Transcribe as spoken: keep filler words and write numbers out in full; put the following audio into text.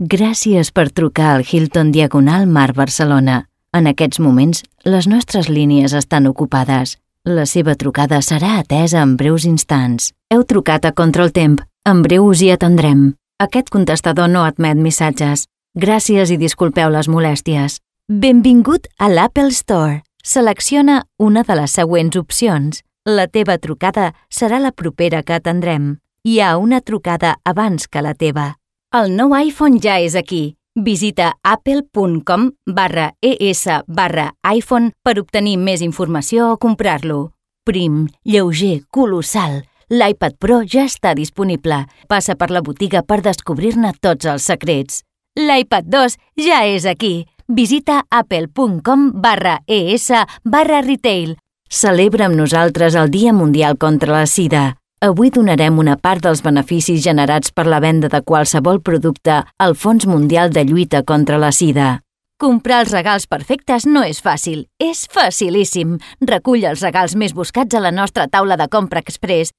Gràcies per trucar al Hilton Diagonal Mar Barcelona. En aquests moments, les nostres línies estan ocupades. La seva trucada serà atesa en breus instants. Heu trucat a Contraltemp. En breu us hi atendrem. Aquest contestador no admet missatges. Gràcies i disculpeu les molèsties. Benvingut a l'Apple Store. Selecciona una de les següents opcions. La teva trucada serà la propera que atendrem. Hi ha una trucada abans que la teva. El nou iPhone ja és aquí. Visita apple.com barra es barra iPhone per obtenir més informació o comprar-lo. Prim, lleuger, colossal. L'iPad Pro ja està disponible. Passa per la botiga per descobrir-ne tots els secrets. L'iPad dos ja és aquí. Visita apple.com barra es barra retail. Celebra amb nosaltres el Dia Mundial contra la Sida. Avui donarem una part dels beneficis generats per la venda de qualsevol producte al Fons Mundial de Lluita contra la Sida. Comprar els regals perfectes no és fàcil, és facilíssim. Recull els regals més buscats a la nostra taula de compra express